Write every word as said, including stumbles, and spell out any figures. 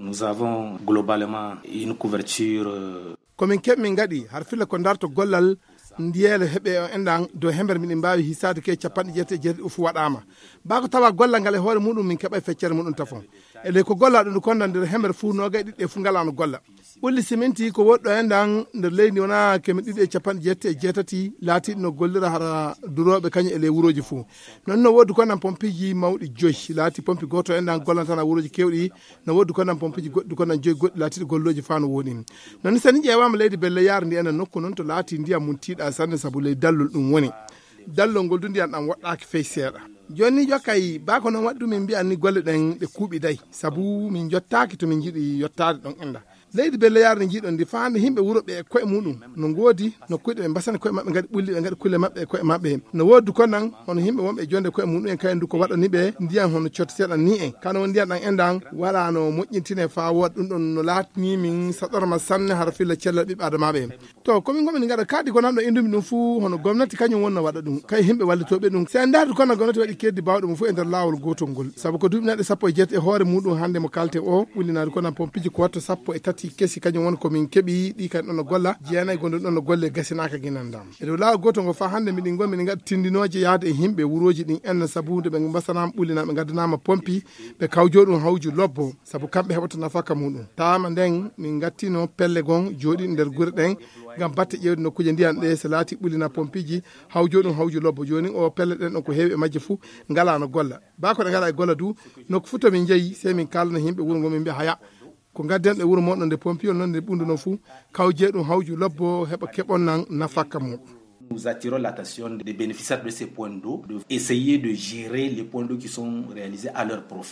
Nous avons globalement une couverture, euh, Ko min keɓ min ngaɗi har filla ko darto gollal ndiyeele heɓe o enɗan dow hember miɗen mbaawi hisaade ke capanɗe jeetati e jeetati o fu waɗaama. Baa ko tawa gollal ngal e hoore muɗum min keɓay feccere muɗum tafon. E ley ko gollaa ɗum kon nan nder hember fu noogay ɗiɗɗe fu ngalaano golla. Ɓulli siminti ko woɗɗo enɗan nder leydi wona keme ɗiɗi e capanɗe jeetati e jeetati laatiiɗi no gollira hara durooɓe kañum e ley wurooji fu. Non no woodi kon nan pompiji mawɗi joyi laati pompi gooto enɗan gollantana wurooji kewɗi. No woodi konan pompiji goɗɗi konan joyi goɗɗi laatiiɗi gollooji faa no woni. Non ni sani ƴeewaama leydi belle yaara ndi enen nokku non to laati ndiyam mum tiiɗa sanne sabu ley dallol ɗum woni. Dallol ngol du ndiyam ɗam woɗɗaaki fey seeɗa. Jooni ni jokkay baa ko non waɗi ɗum min mbiyan ni golle ɗen ɗe kuuɓi day sabu min jottaaki to min njiɗi yottaade ɗon enda. Leydi belle yaara ndi njiɗon ndi faa hannde yimɓe wuro ɓe e koye muɗum no ngoodi no kuyɗe ɓe mbasani koye maɓɓe ngaɗi ɓulli ɓe ngaɗi kulle maɓɓe e koye maɓɓe. No woodi konan hono yimɓe wonɓe e jonde koye muɗum en kayen du ko waɗani ɓe ndiyam hono cotteteɗan ni en kano won ndiyam ɗan enɗan wala no moƴƴintine faa wooda ɗum ɗon no laatani min saɗorma sanne hara filla cellal ɓiɓɓe adamaaɓe en. To komin gomin gaɗa kadi ko nanɗo indumi ɗum fuu hono gomnati kañum wonno waɗa ɗum kay yimɓe wallitooɓe ɗum si en ndaardu kono gomnati waɗi keddi baawɗe mum fuu e nder laawol gootol ngol sabu ko duuɓi neɗɗo sappo e jeetati e hoore muɗum hannde mo kalte o ɓullinaade kono pompiji ko watto sappo e tati kesi kañum woni komin keɓi ɗi kadi ɗon no golla jeenayi gonɗum ɗon no golle gasinaaka ginandam e dow laawol gootol ngol faa hannde miɗin gon miɗin gaɗa tindinooje yahde e yimɓe wurooji ɗin en sabu nde ɓe mbasanaama ɓullinaama ɓe ngaddanaama pompi ɓe kawjoo ɗum hawju lobbo sabu kamɓe heɓata nafaka muɗum taama nden min ngattino pelle gon jooɗi nder gure ɗen ngam batte ƴeewde nokkuuje ndiyan ɗe so laati ɓullina pompiji hawjoo ɗum hawju lobbo jooni o pelle ɗen ɗon ko heewi e majje fuu ngalaa no golla baa ko ɗe ngalaa e golla du nokku fuu to min njeyi sey min kaalana yimɓe wuro ngo min mbiya haya ko ngadden ɗe wuro moɗon nde pompiyol non nde ɓunduno fuu kawjee ɗum hawju lobbo heɓa keɓon nan nafaka muɗum. Nous attirons l'attention des bénéficiaires de ces points d'eau de essayer de gérer les points d'eau qui sont réalisés à leur profit.